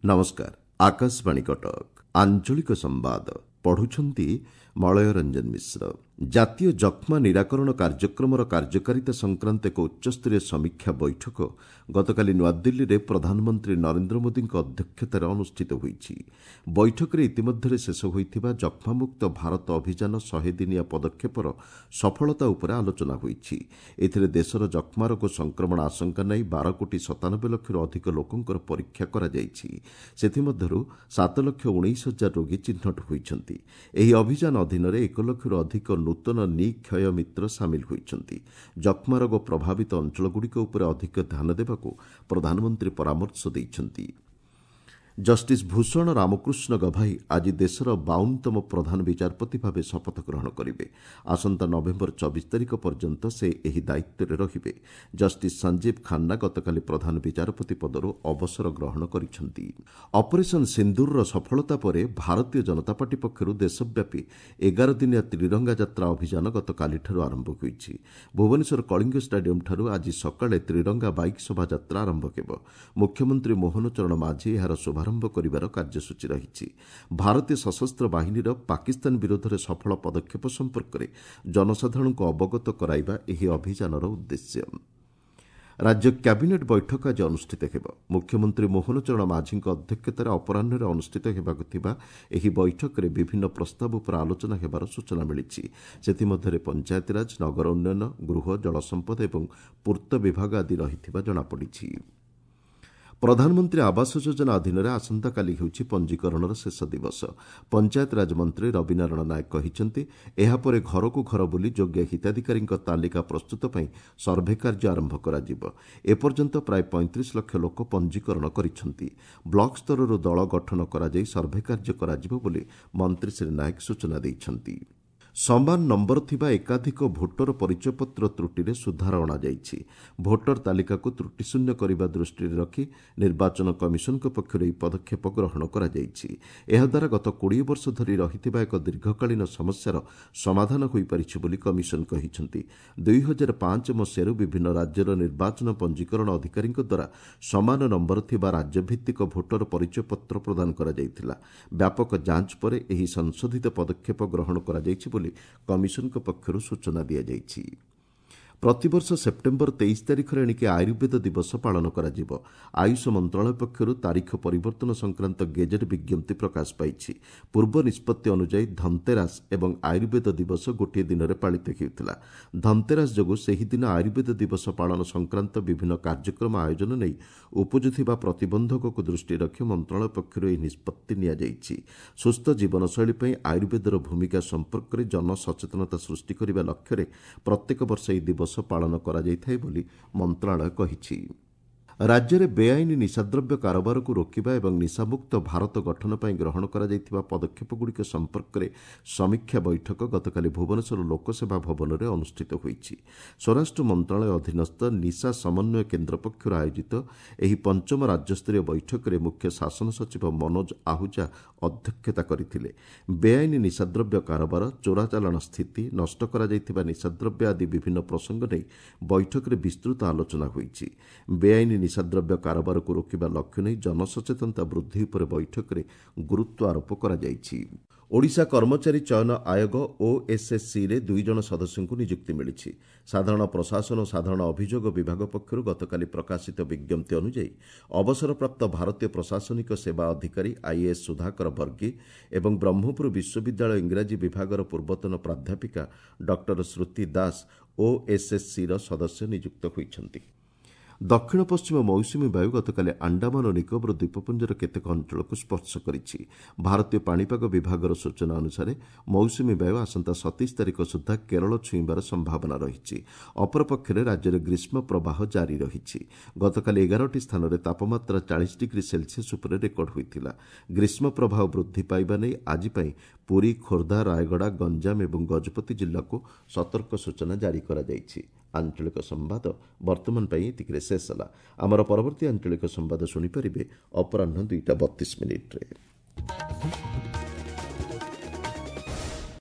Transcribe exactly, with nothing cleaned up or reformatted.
ନମସ୍କାର ଆକାଶବାଣୀ କଟକ ଆଞ୍ଚଳିକ ସମ୍ବାଦ ପଢୁଛନ୍ତି ମଳୟ ରଞ୍ଜନ ମିଶ୍ର ଜାତୀୟ ଯକ୍ଷ୍ମା ନିରାକରଣ କାର୍ଯ୍ୟକ୍ରମର କାର୍ଯ୍ୟକାରିତା ସଂକ୍ରାନ୍ତ ଏକ ଉଚ୍ଚସ୍ତରୀୟ ସମୀକ୍ଷା ବୈଠକ ଗତକାଲି ନୂଆଦିଲ୍ଲୀରେ ପ୍ରଧାନମନ୍ତ୍ରୀ ନରେନ୍ଦ୍ର ମୋଦିଙ୍କ ଅଧ୍ୟକ୍ଷତାରେ ଅନୁଷ୍ଠିତ ହୋଇଛି ବୈଠକରେ ଇତିମଧ୍ୟରେ ଶେଷ ହୋଇଥିବା ଯକ୍ଷ୍ମାମୁକ୍ତ ଭାରତ ଅଭିଯାନ ଶହେ ଦିନିଆ ପଦକ୍ଷେପର ସଫଳତା ଉପରେ ଆଲୋଚନା ହୋଇଛି ଏଥିରେ ଦେଶର ଯକ୍ଷ୍ମା ରୋଗ ସଂକ୍ରମଣ ଆଶଙ୍କା ନେଇ ବାର କୋଟି ସତାନବେ ଲକ୍ଷରୁ ଅଧିକ ଲୋକଙ୍କର ପରୀକ୍ଷା କରାଯାଇଛି ସେଥିମଧ୍ୟରୁ ସାତ ଲକ୍ଷ ଉଣେଇଶ ହଜାର ରୋଗୀ ଚିହ୍ନଟ ହୋଇଛନ୍ତି ଏହି ଅଭିଯାନ ଅଧୀନରେ ଏକ ଲକ୍ଷରୁ ଅଧିକ ନୂତନ ନିକ୍ଷୟ ମିତ୍ର ସାମିଲ ହୋଇଛନ୍ତି ଯକ୍ଷ୍ମା ରୋଗ ପ୍ରଭାବିତ ଅଞ୍ଚଳଗୁଡ଼ିକ ଉପରେ ଅଧିକ ଧ୍ୟାନ ଦେବାକୁ ପ୍ରଧାନମନ୍ତ୍ରୀ ପରାମର୍ଶ ଦେଇଛନ୍ତି ଜଷ୍ଟିସ୍ ଭୂଷଣ ରାମକୃଷ୍ଣ ଗଭାଇ ଆଜି ଦେଶର ବାଉନତମ ପ୍ରଧାନ ବିଚାରପତି ଭାବେ ଶପଥ ଗ୍ରହଣ କରିବେ ଆସନ୍ତା ନଭେମ୍ବର ଚବିଶ ତାରିଖ ପର୍ଯ୍ୟନ୍ତ ସେ ଏହି ଦାୟିତ୍ୱରେ ରହିବେ ଜଷ୍ଟିସ୍ ସଞ୍ଜୀବ ଖାନ୍ନା ଗତକାଲି ପ୍ରଧାନ ବିଚାରପତି ପଦରୁ ଅବସର ଗ୍ରହଣ କରିଛନ୍ତି ଅପରେସନ୍ ସିନ୍ଦୁରର ସଫଳତା ପରେ ଭାରତୀୟ ଜନତା ପାର୍ଟି ପକ୍ଷରୁ ଦେଶବ୍ୟାପୀ ଏଗାର ଦିନିଆ ତ୍ରିରଙ୍ଗା ଯାତ୍ରା ଅଭିଯାନ ଗତକାଲିଠାରୁ ଆରମ୍ଭ ହୋଇଛି ଭୁବନେଶ୍ୱର କଳିଙ୍ଗ ଷ୍ଟାଡିୟମ୍ଠାରୁ ଆଜି ସକାଳେ ତ୍ରିରଙ୍ଗା ବାଇକ୍ ଶୋଭାଯାତ୍ରା ଆରମ୍ଭ ହେବ ମୁଖ୍ୟମନ୍ତ୍ରୀ ମୋହନ ଚରଣ ମାଝୀ ଏହାର ଶୁଭାରମ୍ଭ କରିବାର କାର୍ଯ୍ୟସୂଚୀ ରହିଛି ଭାରତୀୟ ସଶସ୍ତ୍ର ବାହିନୀର ପାକିସ୍ତାନ ବିରୋଧରେ ସଫଳ ପଦକ୍ଷେପ ସମ୍ପର୍କରେ ଜନସାଧାରଣଙ୍କୁ ଅବଗତ କରାଇବା ଏହି ଅଭିଯାନର ଉଦ୍ଦେଶ୍ୟ ରାଜ୍ୟ କ୍ୟାବିନେଟ୍ ବୈଠକ ଆଜି ଅନୁଷ୍ଠିତ ହେବ ମୁଖ୍ୟମନ୍ତ୍ରୀ ମୋହନ ଚରଣ ମାଝୀଙ୍କ ଅଧ୍ୟକ୍ଷତାରେ ଅପରାହ୍ନରେ ଅନୁଷ୍ଠିତ ହେବାକୁ ଥିବା ଏହି ବୈଠକରେ ବିଭିନ୍ନ ପ୍ରସ୍ତାବ ଉପରେ ଆଲୋଚନା ହେବାର ସୂଚନା ମିଳିଛି ସେଥିମଧ୍ୟରେ ପଞ୍ଚାୟତିରାଜ ନଗର ଉନ୍ନୟନ ଗୃହ ଜଳସମ୍ପଦ ଏବଂ ପୂର୍ତ୍ତ ବିଭାଗ ଆଦି ରହିଥିବା ଜଣାପଡ଼ିଛି ପ୍ରଧାନମନ୍ତ୍ରୀ ଆବାସ ଯୋଜନା ଅଧୀନରେ ଆସନ୍ତାକାଲି ହେଉଛି ପଞ୍ଜୀକରଣର ଶେଷ ଦିବସ ପଞ୍ଚାୟତରାଜ ମନ୍ତ୍ରୀ ରବିନାରାୟଣ ନାୟକ କହିଛନ୍ତି ଏହାପରେ ଘରକୁ ଘର ବୁଲି ଯୋଗ୍ୟ ହିତାଧିକାରୀଙ୍କ ତାଲିକା ପ୍ରସ୍ତୁତ ପାଇଁ ସର୍ଭେ କାର୍ଯ୍ୟ ଆରମ୍ଭ କରାଯିବ ଏପର୍ଯ୍ୟନ୍ତ ପ୍ରାୟ ପଇଁତିରିଶ ଲକ୍ଷ ଲୋକ ପଞ୍ଜୀକରଣ କରିଛନ୍ତି ବ୍ଲକ ସ୍ତରରୁ ଦଳ ଗଠନ କରାଯାଇ ସର୍ଭେ କାର୍ଯ୍ୟ କରାଯିବ ବୋଲି ମନ୍ତ୍ରୀ ଶ୍ରୀ ନାୟକ ସୂଚନା ଦେଇଛନ୍ତି ସମାନ ନମ୍ବର ଥିବା ଏକାଧିକ ଭୋଟର ପରିଚୟପତ୍ର ତ୍ରୁଟିରେ ସୁଧାର ଅଣାଯାଇଛି ଭୋଟର ତାଲିକାକୁ ତ୍ରୁଟିଶୂନ୍ୟ କରିବା ଦୃଷ୍ଟିରେ ରଖି ନିର୍ବାଚନ କମିଶନଙ୍କ ପକ୍ଷରୁ ଏହି ପଦକ୍ଷେପ ଗ୍ରହଣ କରାଯାଇଛି ଏହାଦ୍ୱାରା ଗତ କୋଡ଼ିଏ ବର୍ଷ ଧରି ରହିଥିବା ଏକ ଦୀର୍ଘକାଳୀନ ସମସ୍ୟାର ସମାଧାନ ହୋଇପାରିଛି ବୋଲି କମିଶନ କହିଛନ୍ତି ଦୁଇ ହଜାର ପାଞ୍ଚ ମସିହାରୁ ବିଭିନ୍ନ ରାଜ୍ୟର ନିର୍ବାଚନ ପଞ୍ଜୀକରଣ ଅଧିକାରୀଙ୍କ ଦ୍ୱାରା ସମାନ ନମ୍ବର ଥିବା ରାଜ୍ୟଭିତ୍ତିକ ଭୋଟର ପରିଚୟପତ୍ର ପ୍ରଦାନ କରାଯାଇଥିଲା ବ୍ୟାପକ ଯାଞ୍ଚ ପରେ ଏହି ସଂଶୋଧିତ ପଦକ୍ଷେପ ଗ୍ରହଣ କରାଯାଇଛି ବୋଲି କମିଶନଙ୍କ ପକ୍ଷରୁ ସୂଚନା ଦିଆଯାଇଛି ପ୍ରତିବର୍ଷ ସେପ୍ଟେମ୍ବର ତେଇଶ ତାରିଖରେ ଏଣିକି ଆୟୁର୍ବେଦ ଦିବସ ପାଳନ କରାଯିବ ଆୟୁଷ ମନ୍ତ୍ରଣାଳୟ ପକ୍ଷରୁ ତାରିଖ ପରିବର୍ତ୍ତନ ସଂକ୍ରାନ୍ତ ଗେଜେଟ୍ ବିଜ୍ଞପ୍ତି ପ୍ରକାଶ ପାଇଛି ପୂର୍ବ ନିଷ୍ପତ୍ତି ଅନୁଯାୟୀ ଧନତେରାସ ଏବଂ ଆୟୁର୍ବେଦ ଦିବସ ଗୋଟିଏ ଦିନରେ ପାଳିତ ହେଉଥିଲା ଧନତେରାସ ଯୋଗୁଁ ସେହିଦିନ ଆୟୁର୍ବେଦ ଦିବସ ପାଳନ ସଂକ୍ରାନ୍ତ ବିଭିନ୍ନ କାର୍ଯ୍ୟକ୍ରମ ଆୟୋଜନ ନେଇ ଉପୁଜୁଥିବା ପ୍ରତିବନ୍ଧକକୁ ଦୃଷ୍ଟିରେ ରଖି ମନ୍ତ୍ରଣାଳୟ ପକ୍ଷରୁ ଏହି ନିଷ୍ପତ୍ତି ନିଆଯାଇଛି ସୁସ୍ଥ ଜୀବନଶୈଳୀ ପାଇଁ ଆୟୁର୍ବେଦର ଭୂମିକା ସମ୍ପର୍କରେ ଜନସଚେତନତା ସୃଷ୍ଟି କରିବା ଲକ୍ଷ୍ୟରେ ପ୍ରତ୍ୟେକ ବର୍ଷ ଏହି ଦିବସ ପାଳନ କରାଯାଇଥାଏ ବୋଲି ମନ୍ତ୍ରଣାଳୟ କହିଛି ରାଜ୍ୟରେ ବେଆଇନ ନିଶାଦ୍ରବ୍ୟ କାରବାରକୁ ରୋକିବା ଏବଂ ନିଶାମୁକ୍ତ ଭାରତ ଗଠନ ପାଇଁ ଗ୍ରହଣ କରାଯାଇଥିବା ପଦକ୍ଷେପଗୁଡ଼ିକ ସମ୍ପର୍କରେ ସମୀକ୍ଷା ବୈଠକ ଗତକାଲି ଭୁବନେଶ୍ୱର ଲୋକସେବା ଭବନରେ ଅନୁଷ୍ଠିତ ହୋଇଛି ସ୍ୱରାଷ୍ଟ୍ର ମନ୍ତ୍ରଣାଳୟ ଅଧୀନସ୍ଥ ନିଶା ସମନ୍ୱୟ କେନ୍ଦ୍ର ପକ୍ଷରୁ ଆୟୋଜିତ ଏହି ପଞ୍ଚମ ରାଜ୍ୟସ୍ତରୀୟ ବୈଠକରେ ମୁଖ୍ୟ ଶାସନ ସଚିବ ମନୋଜ ଆହୁଜା ଅଧ୍ୟକ୍ଷତା କରିଥିଲେ ବେଆଇନ ନିଶାଦ୍ରବ୍ୟ କାରବାର ଚୋରାଚାଲାଣ ସ୍ଥିତି ନଷ୍ଟ କରାଯାଇଥିବା ନିଶାଦ୍ରବ୍ୟ ଆଦି ବିଭିନ୍ନ ପ୍ରସଙ୍ଗ ନେଇ ବୈଠକରେ ବିସ୍ତୃତ ଆଲୋଚନା ହୋଇଛି ବେଆଇନ ନିଶାଦ୍ରବ୍ୟ କାରବାରକୁ ରୋକିବା ଲକ୍ଷ୍ୟ ନେଇ ଜନସଚେତନତା ବୃଦ୍ଧି ଉପରେ ବୈଠକରେ ଗୁରୁତ୍ୱ ଆରୋପ କରାଯାଇଛି ଓଡ଼ିଶା କର୍ମଚାରୀ ଚୟନ ଆୟୋଗ ଓଏସ୍ଏସ୍ସିରେ ଦୁଇ ଜଣ ସଦସ୍ୟଙ୍କୁ ନିଯୁକ୍ତି ମିଳିଛି ସାଧାରଣ ପ୍ରଶାସନ ଓ ସାଧାରଣ ଅଭିଯୋଗ ବିଭାଗ ପକ୍ଷରୁ ଗତକାଲି ପ୍ରକାଶିତ ବିଜ୍ଞପ୍ତି ଅନୁଯାୟୀ ଅବସରପ୍ରାପ୍ତ ଭାରତୀୟ ପ୍ରଶାସନିକ ସେବା ଅଧିକାରୀ ଆଇଏଏସ୍ ସୁଧାକର ବର୍ଗୀ ଏବଂ ବ୍ରହ୍ମପୁର ବିଶ୍ୱବିଦ୍ୟାଳୟ ଇଂରାଜୀ ବିଭାଗର ପୂର୍ବତନ ପ୍ରାଧ୍ୟାପିକା ଡକ୍ଟର ଶ୍ରୁତି ଦାସ ଓଏସ୍ଏସ୍ସିର ସଦସ୍ୟ ନିଯୁକ୍ତ ହୋଇଛନ୍ତି ଦକ୍ଷିଣ ପଶ୍ଚିମ ମୌସୁମୀ ବାୟୁ ଗତକାଲି ଆଣ୍ଡାମାନ ଓ ନିକୋବର ଦ୍ୱୀପପୁଞ୍ଜର କେତେକ ଅଞ୍ଚଳକୁ ସ୍ପର୍ଶ କରିଛି ଭାରତୀୟ ପାଣିପାଗ ବିଭାଗର ସୂଚନା ଅନୁସାରେ ମୌସୁମୀ ବାୟୁ ଆସନ୍ତା ସତେଇଶ ତାରିଖ ସୁଦ୍ଧା କେରଳ ଛୁଇଁବାର ସମ୍ଭାବନା ରହିଛି ଅପରପକ୍ଷରେ ରାଜ୍ୟରେ ଗ୍ରୀଷ୍ମ ପ୍ରବାହ ଜାରି ରହିଛି ଗତକାଲି ଏଗାରଟି ସ୍ଥାନରେ ତାପମାତ୍ରା ଚାଳିଶ ଡିଗ୍ରୀ ସେଲସିୟସ୍ ଉପରେ ରେକର୍ଡ ହୋଇଥିଲା ଗ୍ରୀଷ୍ମ ପ୍ରବାହ ବୃଦ୍ଧି ପାଇବା ନେଇ ଆଜି ପାଇଁ ପୁରୀ ଖୋର୍ଦ୍ଧା ରାୟଗଡ଼ା ଗଞ୍ଜାମ ଏବଂ ଗଜପତି ଜିଲ୍ଲାକୁ ସତର୍କ ସୂଚନା ଜାରି କରାଯାଇଛି ଆଞ୍ଚଳିକ ସମ୍ବାଦ ବର୍ତ୍ତମାନ ପାଇଁ ଏତିକିରେ ଶେଷ ହେଲା ଆମର ପରବର୍ତ୍ତୀ ଆଞ୍ଚଳିକ ସମ୍ବାଦ ଶୁଣିପାରିବେ ଅପରାହ୍ନ ଦୁଇଟା ବତିଶ ମିନିଟ୍ରେ